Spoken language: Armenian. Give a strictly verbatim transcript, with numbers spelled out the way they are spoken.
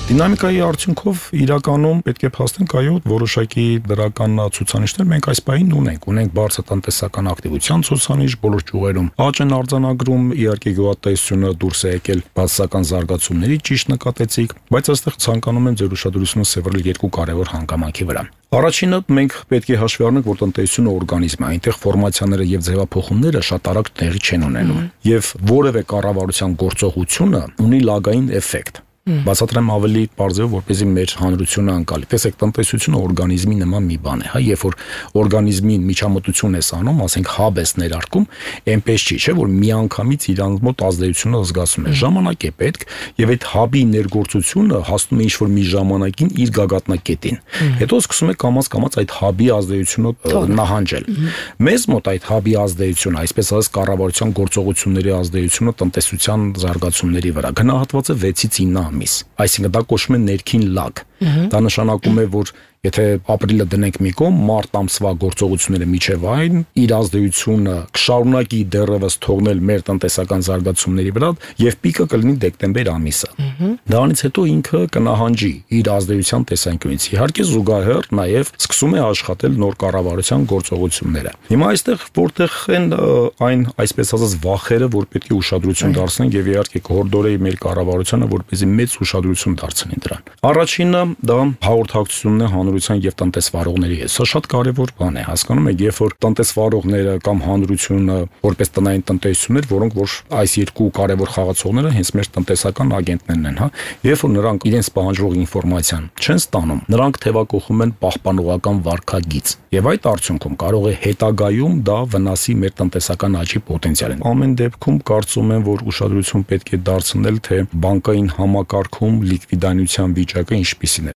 Դինամիկայի արդյունքով իրականում պետք է փաստենք, այո, որոշակի դրական ցուցանիշներ մենք այս պահին ունենք։ Ունենք բարձր տնտեսական ակտիվության ցուցանիշ բոլոր ճյուղերում։ Աճ են արձանագրում, իհարկե գյուղատնտեսությունը դուրս է եկել բացասական զարգացումների, ճիշտ նկատեցիք, բայց այստեղ ցանկանում եմ ձեր ուշադրությունը սևեռել երկու կարևոր հանգամանքի վրա։ Առաջինը մենք պետք է հաշվի առնենք, որ տնտեսությունը օրգանիզմ է, այնտեղ ֆորմացիաները եւ ձևափոխումները շատ արագ տեղի չեն ունենում, եւ որևէ կառավարության գործողությունը ունի լագային էֆեկտ։ Բացատրեմ ավելի բարձր, որպեսզի մեր հանրությունը անցալի։ Տեսեք, տնտեսությունը օրգանիզմի նման մի բան է, հա, երբ որ օրգանիզմին միջամտություն ես անում, ասենք հաբ ես ներարկում, այնպես չի, չէ, որ միանգամից իրանց մոտ ազդեցությունը զգացում է։ Ժամանակ է պետք, եւ այդ հաբի ներգործությունը հասնում է ինչ-որ մի ժամանակին իր գագաթնակետին։ Հետո սկսում է կամաց-կամաց այդ հաբի ազդեցությունը նահանջել։ Մեզ մոտ այդ հաբի ազդեցությունը, այսպես ասած, կառավարության գործողությունների ազդեցությունը տնտեսության զարգացումների վրա գնահատված է վեցից ինը ամիս, այսինքն դա կոչվում է ներքին լագ։ Դա նշանակում է, որ եթե ապրիլը դնենք մի կողմ, մարտ ամսվա գործողությունները միջև այն իր ազդեցությունը կշարունակի դեռևս թողնել մեր տնտեսական զարգացումների վրա եւ պիկը կլինի դեկտեմբեր ամիսը։ Դրանից հետո ինքը կնահանջի իր ազդեցության տեսանկյունից։ Իհարկե զուգահեռ նաեւ սկսում է աշխատել նոր կառավարության գործողությունները։ Հիմա այստեղ որտեղ են այն այսպես ասած վախերը, որ պետք է ուշադրություն դարձնենք եւ իհարկե կհորդորեի մեր կառավարությանը, որպեսզի մեծ ուշադրություն դարձնի դրան։ Առաջինը դա հաղորդակցությունն է հանրության եւ տնտեսվարողների հետ։ Սա շատ կարեւոր բան է, հասկանում եք, երբ որ տնտեսվարողները կամ հանրությունը որպես տնային տնտեսություններ, որոնք որ այս երկու կարեւոր խաղացողները հենց մեր տնտեսական ագենտներն են, հա, երբ որ նրանք իրենց պահանջող ինֆորմացիան չեն ստանում, նրանք թևակողում են պահպանողական վարքագիծ եւ այդ արդյունքում կարող է հետագայում դա վնասի մեր տնտեսական աճի պոտենցիալին։ Ամեն դեպքում կարծում եմ, որ ուշադրություն պետք է դարձնել, թե բանկային համակարգում լիկվիդայնության վիճակը ինչպես